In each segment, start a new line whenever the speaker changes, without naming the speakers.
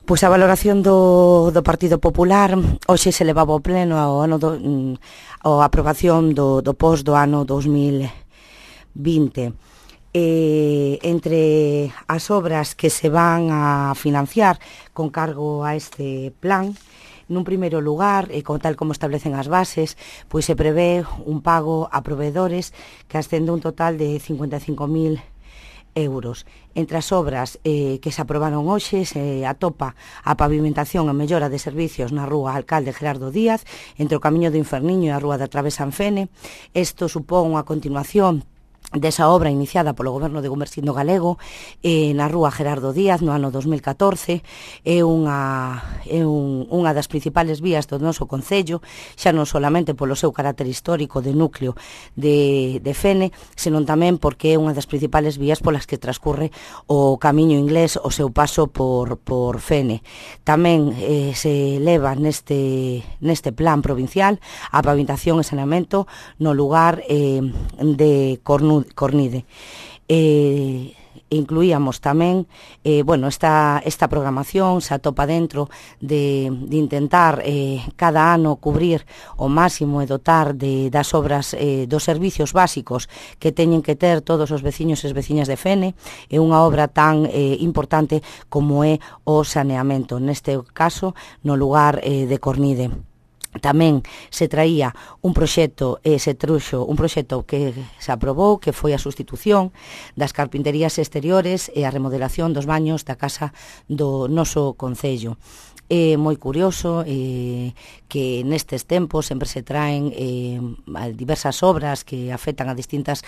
Pois a valoración do Partido Popular hoxe se levaba ao pleno a aprobación do POS do ano 2020. Entre as obras que se van a financiar con cargo a este plan, nun primeiro lugar, tal como establecen as bases, pois se prevé un pago a proveedores que ascende un total de 55.000 euros. Entre as obras que se aprobaron hoxe se atopa a pavimentación e mellora de servicios na rúa Alcalde Gerardo Díaz, entre o Camiño do Inferniño e a rúa da Travesa en Fene. Isto supón unha continuación desa obra iniciada polo Goberno de Gumersindo Galego na rúa Gerardo Díaz no ano 2014. É unha das principales vías do noso concello, xa non solamente polo seu carácter histórico de núcleo de Fene, senón tamén porque é unha das principales vías polas que transcurre o Camiño Inglés o seu paso por Fene. Tamén se leva neste plan provincial a pavimentación e saneamento no lugar de Cornide. Incluíamos tamén esta programación se atopa dentro de intentar cada ano cubrir o máximo e dotar das obras dos servicios básicos que teñen que ter todos os veciños e as veciñas de Fene. É unha obra tan importante como é o saneamento, neste caso no lugar de Cornide. Tamén se traía un proxecto que se aprobou, que foi a sustitución das carpinterías exteriores e a remodelación dos baños da casa do noso concello. É moi curioso que nestes tempos sempre se traen diversas obras que afectan a distintas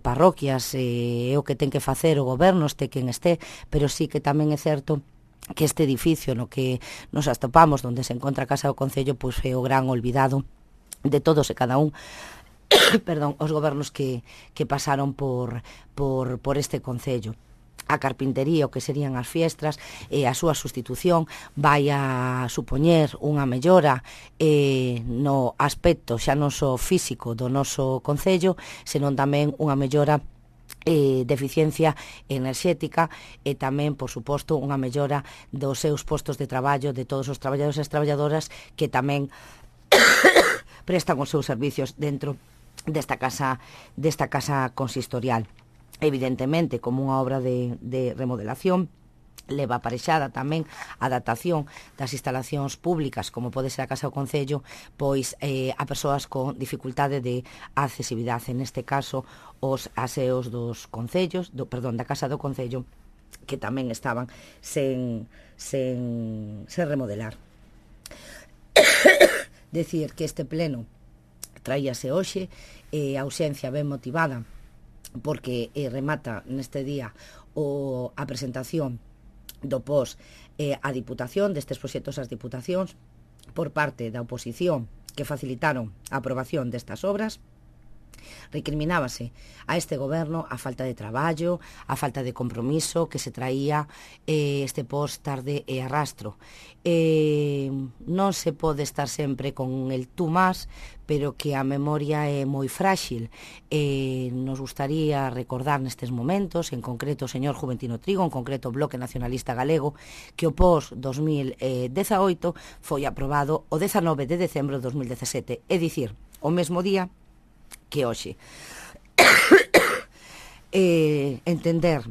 parroquias, é o que ten que facer o goberno, este quen este, pero sí que tamén é certo que este edificio no que nos atopamos, onde se encontra a Casa do Concello, pois é o gran olvidado de todos e cada un os gobernos que pasaron por este concello. A carpintería, o que serían as fiestras, e a súa sustitución vai a supoñer unha mellora no aspecto xa non só físico do noso concello, senón tamén unha mellora de eficiencia enerxética e tamén, por suposto, unha mellora dos seus postos de traballo de todos os traballadores e as traballadoras que tamén prestan os seus servicios dentro desta casa consistorial. Evidentemente, como unha obra de remodelación, leva aparexada tamén a adaptación das instalacións públicas, como pode ser a Casa do Concello, pois a persoas con dificultade de accesibilidade, neste caso os aseos dos concellos, da Casa do Concello, que tamén estaban sen remodelar. Decir que este pleno traíase hoxe, a ausencia ben motivada, porque remata neste día a presentación do POS a Diputación, destes proxectos ás Diputacións, por parte da oposición que facilitaron a aprobación destas obras. Recriminábase a este goberno a falta de traballo, a falta de compromiso que se traía este POS tarde e arrastro. Non se pode estar sempre con el tú más, pero que a memoria é moi frágil. Nos gustaría recordar nestes momentos, en concreto o señor Juventino Trigo, en concreto o Bloque Nacionalista Galego, que o POS 2018 foi aprobado o 19 de decembro de 2017, é dicir, o mesmo día que hoxe. Entender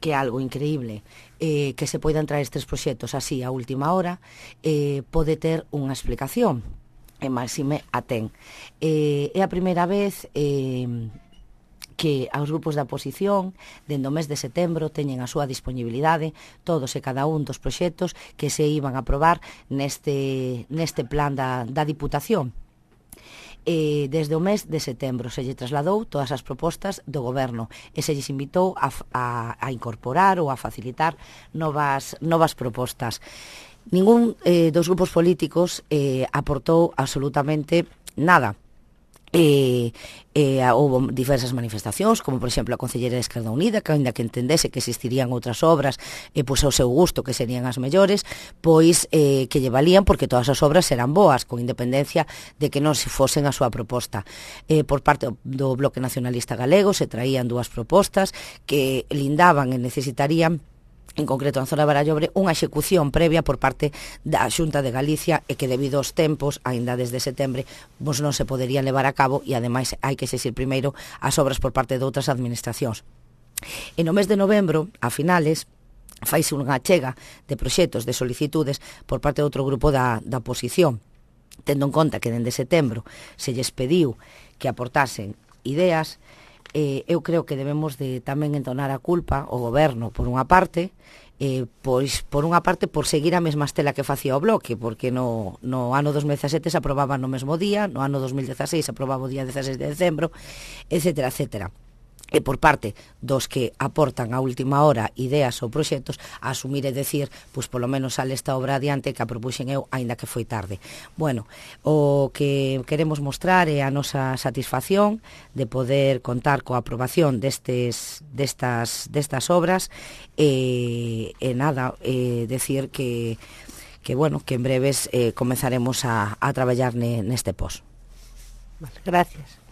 que é algo increíble que se poidan traer estes proxectos así a última hora pode ter unha explicación, e máxime a ten. É a primeira vez que aos grupos da oposición dende o mes de setembro teñen a súa disponibilidade todos e cada un dos proxectos que se iban a aprobar neste plan da Diputación. Desde o mes de setembro se lle trasladou todas as propostas do goberno e se lles invitou a incorporar ou a facilitar novas propostas. Ningún dos grupos políticos aportou absolutamente nada. Houve diversas manifestacións, como por exemplo a concelleira de Esquerda Unida, que aínda que entendese que existirían outras obras pois ao seu gusto, que serían as mellores, pois que lle valían porque todas as obras eran boas, con independencia de que non se fosen a súa proposta. Por parte do Bloque Nacionalista Galego se traían dúas propostas que lindaban e necesitarían en concreto na zona de Barallobre, unha execución previa por parte da Xunta de Galicia e que debido aos tempos, aínda desde setembro, pois non se poderían levar a cabo e ademais hai que exixir primeiro as obras por parte de outras administracións. E no mes de novembro, a finales, faise unha chega de proxectos, de solicitudes por parte de outro grupo da oposición, tendo en conta que dende setembro se lles pediu que aportasen ideas. Eu creo que debemos de tamén entonar a culpa ao goberno por unha parte, pois por unha parte por seguir a mesma estela que facía o Bloque, porque no ano 2017 se aprobaba no mesmo día, no ano 2016 se aprobaba o día 16 de decembro, etcétera, etcétera. E por parte dos que aportan a última hora ideas ou proxectos, a asumir e decir, pois polo menos sale esta obra adiante que a propuxen eu, aínda que foi tarde. Bueno, o que queremos mostrar é a nosa satisfacción de poder contar coa aprobación destas obras e nada, decir que bueno, que en breves comezaremos a traballar neste pos.
Vale, gracias.